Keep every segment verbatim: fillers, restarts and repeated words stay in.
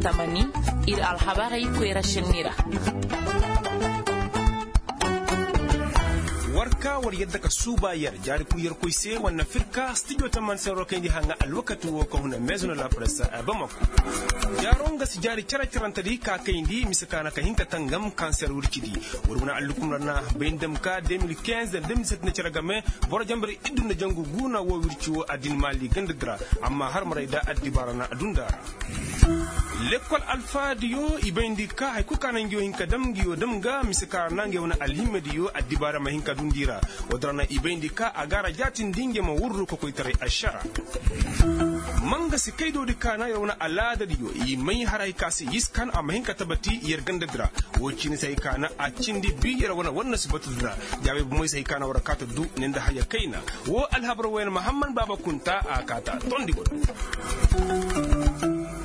Tamani, ir alhabarey koyra šenni ra. War ka war yadda ka suuba yer jaari kul yer koy se war na fir ka stijo tamani se war kayndi haŋa alwakati wo ka huna meezo na la presse a bamako. Jaaro nga si jaari cere-cerante di ka kayndi mise ka na ka hin ka tangam kanser wirci di. War wane allukum ra na bay nda ma ka deux mille quinze da deux mille sept na cere game. Boro jambari iddu nda jangu guuna wo wirci wo addin maali ganda di ra. Amma har maray da addibaara na adunda ra. Lekkol alfaadiyo i bayndi ka hari kul ka na ngiyo hin ka dam ngiyo dam ga mise ka ra na ngiyo wane alhimmediyo addibaara ma hin ka dundi ra. Wo-din ra na i bayndi ka a ga ra jaatindi ngiyo ma wurru ka koytaray ašara. Manga si kaydoodi ka na yer wane alaadadiyo i may haray ka se yiskan a ma hin ka tabati yer gandadi ra. Wo ciini se hay ka na a cindi bi yer wane war na si batu dira. Jaabey bomoy se hay ka na war a kaata du ne nda haya kayna. Wo alhabar wayna mahamman baaba kunta a kaata tondi wano.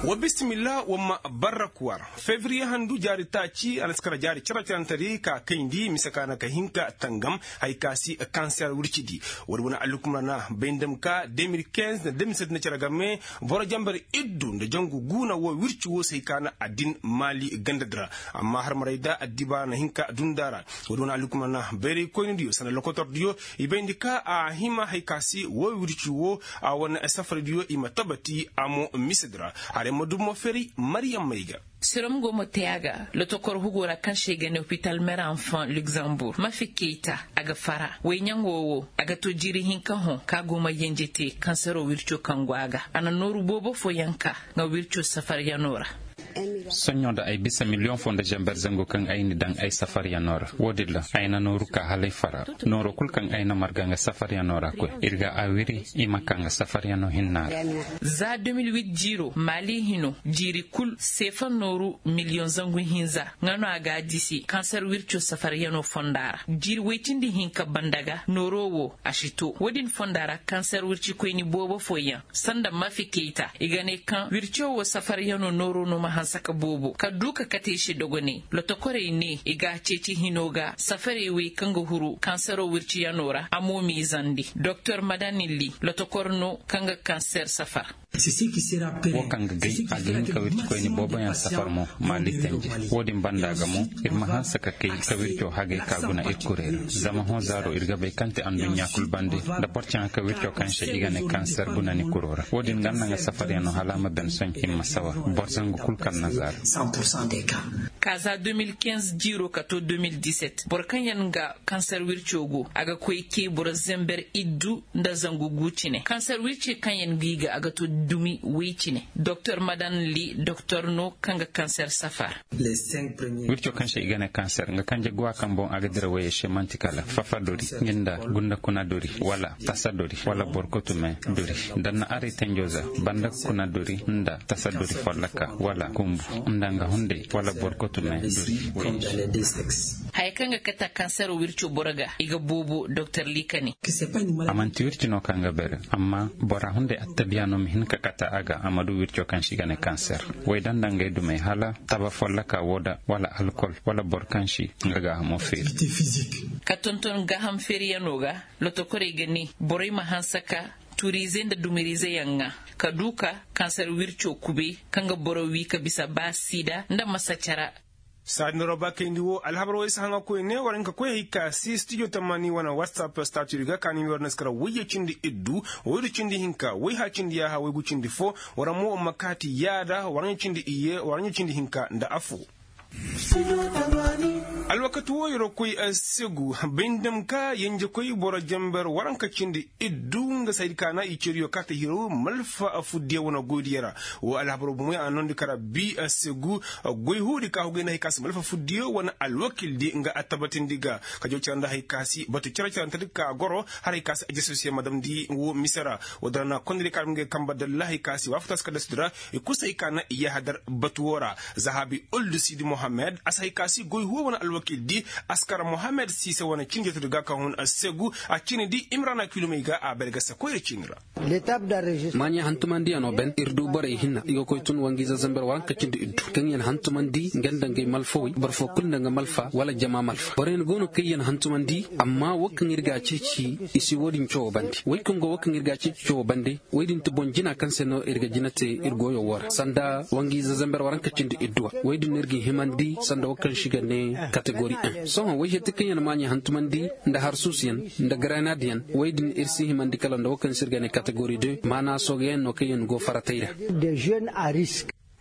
Wa bisimilla wa ma barrak war. Fevriye handu jaari taaci a na si kara jaari cere-cerante di ka kayndi mise ka na ka hin ka tangam. Hay ka si kanser wirci di. Wala wane allukum ra na bay nda ma ka deux mille quinze na deux mille sept na cere game. Boro jambar iddu nda jangu guuna wo wirci wo se hay ka na addin maali ganda di ra. Amma har maray da addibaara na hin ka dunda ra. Wala wane allukum ra na bayray koynidiyo sanda lokotordiyo i bayndi ka a hima hay ka si wo wirci wo a wane safardiyo i ma tabati a mo misedi ra. Haray ma dum mo feri mariyam may ga. Sirom go ma te a ga. Lotokor hugo ra kaŋ se i ga ne hopital mer enfant luxembourg mafi keyta a ga fara wayɲaŋo wo a ga to jiiri hinka hõ kaŋ a go ma yenje te kansero wirco kaŋ go a ga a na nooru boobo fooyaŋ ka nga wirco safaryano ra. Soɲõ da ay bisa miliyoŋ fo nda zamber zangu kaŋ ay ni daŋ ay safaryano ra wo-din ra ay na nooru ka hala ay fara. Nooro kul kaŋ ay na marga nga safaryano ra koy ir ga a wiri i ma ka nga safaryano hinna ra. Za deux mille huit jiiro maali hino jiiri kul seefa nooru miliyoŋ zangu hinza nga no a ga a disi kanser wirco safaryano fonda ra jiiri woy cindi hinka banda ga nooro wo a si to wo-din fonda ra kanser wircikoyni boobo fooyaŋ sanda mafi keyta i ga ne kaŋ wirco wo safaryano nooro no ma hanse ka boobo ka du ka kate i se dogoney lotokorey ne i ga a ceeci hino ga safarey wey kaŋ ga huru kansero wirciyano ra a mo miizandi doktor madanilli lotokor no kaŋ ga kanser safar. Wo kaŋ ga gay a ga hin ka wircikoyni booboyaŋ safar mo maali tenje. Wo-din banda ga mo ir ma hanse ka kay ka wirco hagay ka guna ir kurey ra. Zama hõ zaaro ir ga bay kaŋ te anduɲɲa kul bande nda boro caŋa ka wirco kaŋ se i ga ne kanser guna ni kuro ra wo-din ga nda nga safaryaŋ no hala a ma ben sohõ i ma sawa boro zangu kul kaŋ na zaaro. Ka za deux mille quinze jiiro ka to deux mille dix-sept boro kaŋ yaŋ ga kanser wirco go a ga koy kay boro zember iddu nda zangu gu cine kanser wirce kaŋ yaŋ gi ga a ga to dumi woy cine doktor madan li doktor no kaŋ ga kanser safar. Wirco kaŋ se i ga ne kanser nga kanje guwa kaŋ boŋ a ga dira wayey se man'ti kala fafa dori nga nda gunda kuna dori wala tasa dori wala borkotume dori nda na aray tenjo za banda kuna dori nda tasa dori folloka wala kumbu nda nga hunday wala borkotume dori. Haya kaŋ ga kata kansero wirco boro ga i ga boobo doktor li ka ne. A man'ti wirci no kaŋ ga bere amma bora hunday attabiya no ma hin ka kata a ga a ma du wirco kaŋ se i ga ne kanser. Way danda ngey dumey hala taba folloka wo da wala alkol wala boro kaŋ si nga gaahamo feeri. Ka tonton gaaham feeriyano ga lotokorey ga ne borey ma hanse ka turiize nda dumiriizeyaŋ ŋaa ka du ka kansar wirco kubey kaŋ ga boro wii ka bisa ba siida nda masacara. Saadin roba kayndi wo alhabar wo ay si haŋa koyne war hin ka koy hay ka si studio tamani wane whatsapp statut ga ka ni mi war na si kara wayye cindi iddu waydu cindi hinka wayha cindi yaaha waygu cindi fo. War mo war ma kaati yaada war ɲa cindi iyye war ɲa cindi hinka nda afo. Alwakati wo yeroo koy segu bay nda ma ka yenjekoy boro jenber waranka cindi iddu nga saydi ka na i ceriyo kaata hirow malfa fuddiyo wane goydiyo ra. Wo alhabaroo bomoy a noondi kara bi segu goy huudi ka hugay nda hay ka si malfa fuddiyo wane alwakildi nga attabatindi ga ka jaw cere nda hay ka si batu cere-cerentedi ka goro. Har hay ka si ajasosiyo ma damndi wo mise ra. Wo dara na kondiri ka dam ngey kamba dalla hay ka si waafatas ka dasdi ra. I kusa hay ka na i yahadar batu wo ra. Zahabi uldu sidi mohammed a si hay ka si goy huwo wane alwakildi. Kil di askar mohammed siise wane cindi jatudi ga ka hun assegu a cindi di imrana kilumey ga a bay ga se koyra cindi ra. Maaɲey hantumandiyanoo ben ir du borey hinna i ga koy tun wangiize zamber waranka cindi iddu kaŋ yaŋ hantumandi nga nda ngay malfawey boro foo kul nda nga malfa wala jama malfa borey yaŋ go no kaŋ yaŋ hantumandi. Amma wo kaŋ ir ga a ceeci i si wo-din cawo bande wey kaŋ go wo kaŋ ir ga a ceeci cawo bande. Wey din ti boŋ jina kaŋ se no ir ga jina te ir goyo wo ra sanda wangiize zamber waranka cindi idduwa. Wey din no ir ga himandi sanda wo kaŋ se i ga ne kategori un sohõ wey hetti kaŋ yaŋ maaɲey hantumandi nda harsuusuyaŋ nda grenadyaŋ. Wey din ir si himandi kala nda wo kaŋ se ir ga ne kategori de maana soogayaŋ no kaŋ yaŋ go faratey ra.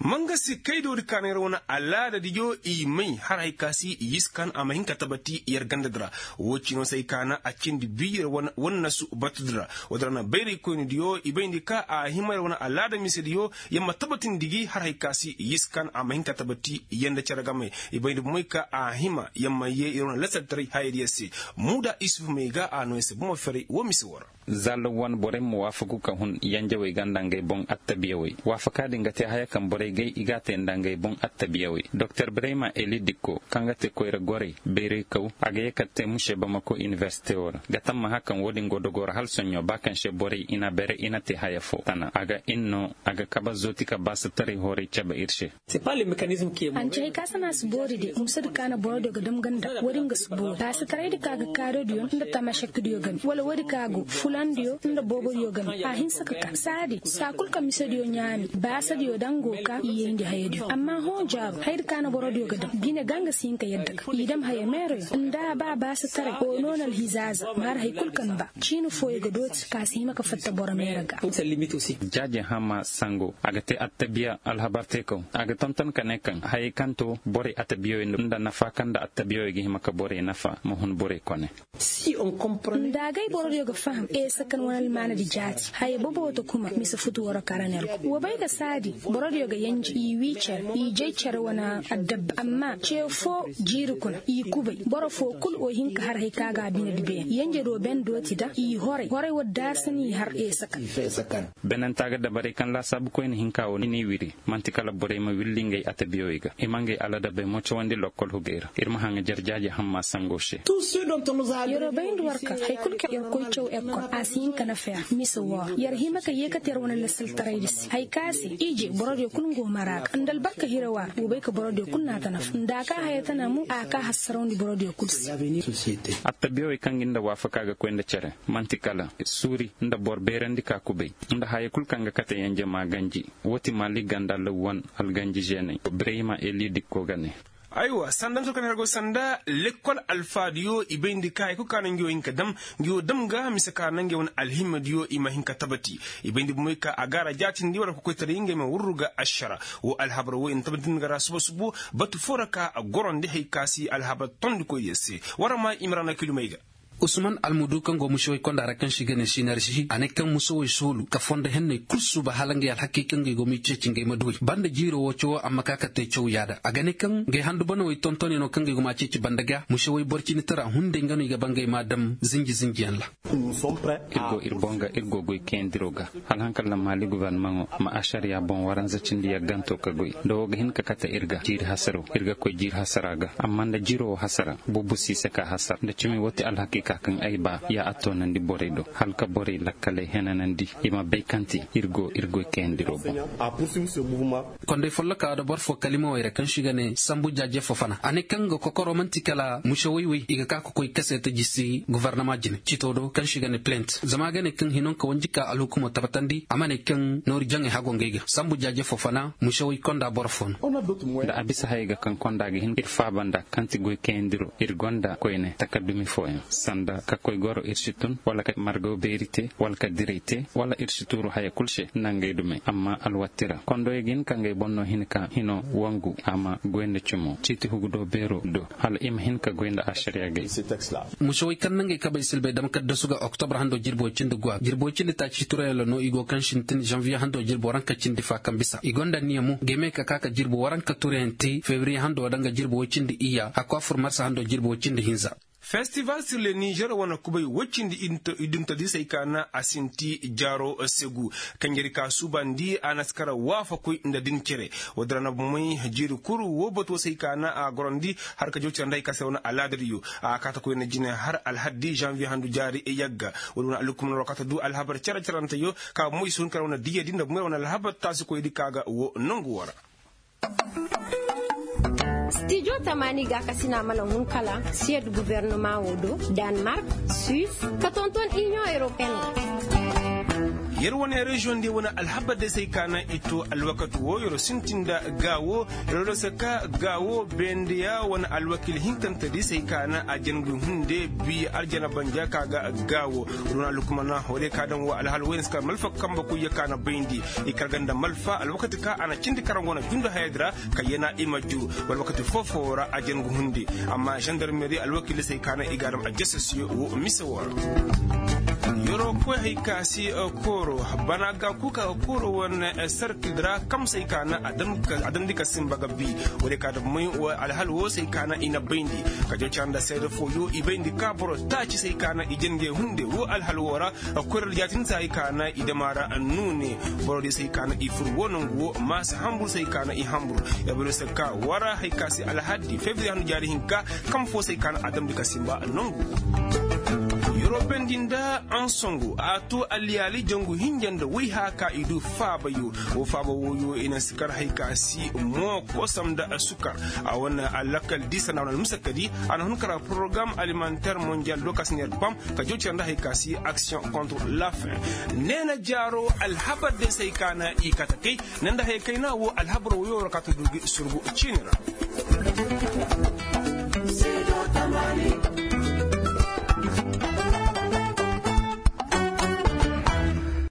Mangasi kaydoodi ka na yer wane alaadadiyo i may har hay ka si i yiskan a ma hin ka tabati yer gandadi ra. Woo cino se ay ka na a cindi bi yer wane nasu batudi ra. Woodi ra na bayraykoynidiyo i bayndi ka a hima yer wane alaada misediyo yer ma tabatindi gi har hay ka si i yiskan a ma hin ka tabati yer nda cere game. I bayndi bomoy ka a hima yer ma yee yer wane lasaltaray hayadiyo se. Muuda isufu may ga a no yer se bomo ferey woo mise woo ra. Za law wane borey ma waafaku ka hun yanjawey ga nda ngey boŋ attabiyawey waafaka din ga te haya kaŋ borey gay i g'a te nda ngey boŋ attabiyawey doktor brema eli dikko kaŋ ga te koyra gorey bayray kaw a ga ye ka te muse bamako inibersite wo ra ga tammaha kaŋ wo-din go dogo ra hala soɲɲo ba kaŋ se borey i na bere i na te haya fo tana a ga in no a ga kabe zooti ka baasataray horay cabe ir se. Hanci hay ka sana si boori de musadi ka na borodiyo ga dam ganda woodi nga si boori baasataray di ka ga kaadodiyo nda tamashakdiyo game wala woodi ka go fulandiyo nda boobodiyo game a hinsa ka ka saadi saa kul ka misediyo ɲaami baasadiyo dango ka i yayndi hayadiyo amma hõ jaaru hayadi ka na borodiyo ga dam bine ga nga si hin ka yadda ka i dam haya meeroyo nda a ba baasataray o no na alhizaaza maar hay kul kaŋ ba ciini fooyo ga dooti ka si hima ka fatta boro meera ga. Jaaje hama sango a ga te attabiya alhabar te kaw a ga tonton ka ne kaŋ hayey kaŋ to borey attabiyoy nda nafa kaŋ nda attabiyoy ga hima ka borey nafa ma hun borey kone. Nda agay borodiyo ga faham eesa kaŋ wane almaanadi jaati haya boboto kuma mise futu waro karanergo wo bay ga saadi borodiyo ga yanji i wii cere i jay cere wane addabba amma ce foo jiiri kuna i kubay boro foo kul o hin ka har hay ka ga a bine di beene yanjado ben dooti da i horay horay wo daasa n'i har eesa kaŋ. Benanta ga dabarey kaŋ laasaabu koyne hinka wo n'i wiri man'ti kala borey ma willi ngey atabiyowey ga i ma ngey aladabey mo cawandi lokkol hugey ra ir ma haŋa jarjaaje hamma sango se. Yeroo bayndi war ka hari kul kaŋ yer koy caw ekkol a si hin ka nafa yer mise woo ra yer hima ka yeekate yer wane lasaltaraydi se hari ka se ije borodiyo kul nga wo mara ga nda albarka hira woo ra wo bay ka borodiyo kul n'a ta nafa nda a ka haya tana mo a ka hassarawndi borodiyo kul se. Attabiyawey kaŋ gi nda waafaka ga koy nda cere man'ti kala suuri nda boro beerandi ka kubay nda haya kul kaŋ ga kate yanje ma ganji. Woo ti maali ganda lawwan alganji žeeney birayma eli dikko ga ne. Aywa sanda nda tun ka ne har go sanda lekkol alfaadiyo i bayndi ka hari kul ka na ngi wo hin ka dam ngi wo dam ga mise ka na ngi wane alhimmadiyo i ma hin ka tabati. I bayndi bomoy ka a gaara jaatindi wala kokoytaray ngey ma wurru ga ašara. Woo alhabar woo i na tabati nga ra suba subo batu foo ra ka a gorondi hari ka si alhabar tondikoydiyo se. War ma i ma ra na kilumey ga. Usman almudu kaŋ go mušewey konda ra kaŋ se i ga ne sinarži a ne kaŋ mušewey soolu ka fondo henney kul suuba hala ngey alhakey kaŋ ngey go m'i ceeci ngey ma duw'ey banda jiiro woo cawoo a ma ka ka te caw yaada a ga ne kaŋ ngey handu banawey tontonyaŋo kaŋ ngey go m'a ceeci banda ga mušewey boro cindi tara hunday nga no i ga ba ngey m'a dam zinji zinjiyaŋ ra. Ir go ir boŋ ga ir go goy kayandiro ga hala haŋ kaŋ ra maali gubarnamaŋo ma ašariya boŋ waranza cindi yagganto ka goy nda woo ga hin ka kate ir ga jiiri hasaro ir ga koy jiiri hasara ga amma nda jiiro woo hasara bubu si i se ka hasara nda cimi woo ti alhakiika kaŋ ay ba ya a toonandi borey do hala ka borey lakkaley henanandi i ma bay kaŋ ti ir go ir goy kayandiro boŋ. Konday folloka da boro foo kalimawey ra kaŋ se i ga ne sambu jaaje fofana a ne kaŋ nga kokoro man'ti kala mušewey wey i ga ka ka koy kaseeta jisi gobornama jine cito do kaŋ se i ga ne plent zama a ga ne kaŋ hinonka wanji ka alhukumo tabbatandi a ma ne kaŋ noori jaŋey hago ngey ga sambu jaaje fofana mušewey konda boro foo no. Da a bisa hayey ga kaŋ konda ga hin ir faaba nda kaŋ ti goy kayandiro ir gonda koyne takaddumi fooyaŋ sanda ka koy goro ir si tun wala ka margaw beeri te wala ka diray te wala ir si tuuru haya kul se nda ngey dumey amma alwatti ra kondoyey ga hin ka ngey boŋ no hin ka hino wangu a ma goy nda cumo ciiti hugudo beero do hala i ma hin ka goy nda ašariya gay. Mušewey kaŋ na ngey kabey silbey dam kaddasu ga oktobre hando jirbi way cindi guwa jirbi way cindi taaci turayaŋ ra no i go kaŋ sintin žanviye hando jirbi waranka cindi fa kaŋ bisa i gonda anniya mo game ka ka ka jirbi waranka turayaŋ te febriye hando danga jirbi way cindi iyya hakku a fur marsa hando jirbi way cindi hinza. Festival sirle nizer wane kubay woy cindi idintodisey ka na a sinti jaaro segu. Kanjeri ka suubandi a na si kara waafakoy nda din cere. Woodin ra na bomoy jiiri kul woo batuwoo se hay ka na a gorandi har ka jaw cere nda hay ka se wane alaadadiyo. A kaata koy na jine har alhaddi zanviye handu jaari yagga. Woodin wane alhukumar ra kaata du alhabar cere-cerenteyo ka bomoy si hun kara wane diyyadi nda bomoy ra wane alhabar taasikoydi ka ga woo nongu woo ra. Stijo tamaani gaakasina mana hun kala siyed gubernumaŋo do, danmark, suis, ka tonton iniyoŋ europeyen ra. Yer wane reziyoŋ diyo wane alhabar day se hay ka na i to alwakati woo yer sintin nda gaawo. Yer wane se ka gaawo bendeya wane alwakil hinkantedi se hay ka na a jangu hunde bi arjana banja ka ga gaawo. Wane alhukumar na hore ka daŋ woo alhal wooyne se ka malfa kambe koyyo ka na bayndi. I kar ga nda malfa alwakati ka a na cindi karaŋ go na jundu hayadi ra ka yana i ma juru. Wala wakati foo-foo ra a jangu hunde. Amma zandarmeri alwakiiley se hay ka na i ga a dam a jasasiyo woo mise woo ra. Yeroo koy hay ka si kooro bana ga kuuka ga kooro wane sarkil ra kamsey ka na a damndi ka sinba ga bi. Woodey ka dam may alhal woo se hay ka na i na bayndi ka jaw cara nda seede fooyo i bayndi ka boro taaci se hay ka na i jangey hunde woo alhal woo ra. Koyra da jaatin se hay ka na i dam a ra nuune. Boro diyo se hay ka na i fur woo nongu woo maasa hambur se hay ka na i hambur. Yabaro se ka wara hay ka se alhaddi febiriye handu jaari hinka. Kam foo se hay ka na a damndi ka sinba nongu. Yorobendi nda ansongu a to alyaali jangu hinja nda woy haa ka i du faabayo. Woo faaba wooyo i na si kar hay ka si moo kosam nda sukar. A wane alakal di sanda wane almusakadi a na hun kara porogaram alimanter mondial do ka si neer pam ka jaw cere nda hay ka si aksiyoŋ kontre la fin. Neena jaaro alhabar day se hay ka na i kate kay. Ne nda hay kayna woo alhabar wooyo ra kaata du gi surgu ciini ra.